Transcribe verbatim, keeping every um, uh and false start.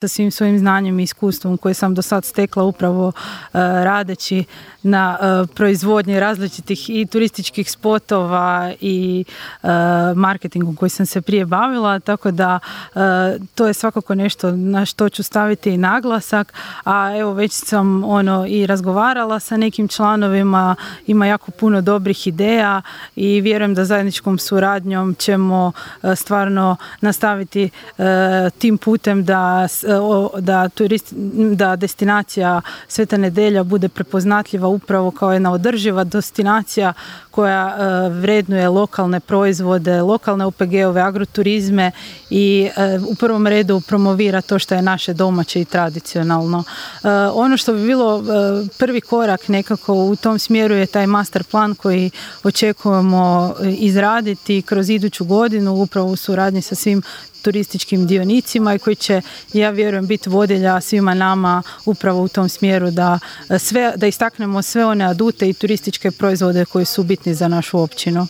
sa svim svojim znanjem i iskustvom koje sam do sad stekla upravo uh, radeći na uh, proizvodnji različitih i turističkih spotova i uh, marketingom koji sam se prije bavila, tako da uh, to je svakako nešto na što ću staviti i naglasak, a evo već sam ono i razgovarala sa nekim članovima, ima jako puno dobrih ideja i vjerujem da zajedničkom suradnjom ćemo uh, stvarno nastaviti uh, tim putem da Da, turist, da destinacija Sveta Nedelja bude prepoznatljiva upravo kao jedna održiva destinacija koja uh, vrednuje lokalne proizvode, lokalne O P G-ove, agroturizme i uh, u prvom redu promovira to što je naše domaće i tradicionalno. Uh, ono što bi bilo uh, prvi korak nekako u tom smjeru je taj master plan koji očekujemo izraditi kroz iduću godinu upravo u suradnji sa svim turističkim dionicima i koji će, ja vjerujem, biti vodilja svima nama upravo u tom smjeru da, sve, da istaknemo sve one adute i turističke proizvode koji su bitni za našu općinu.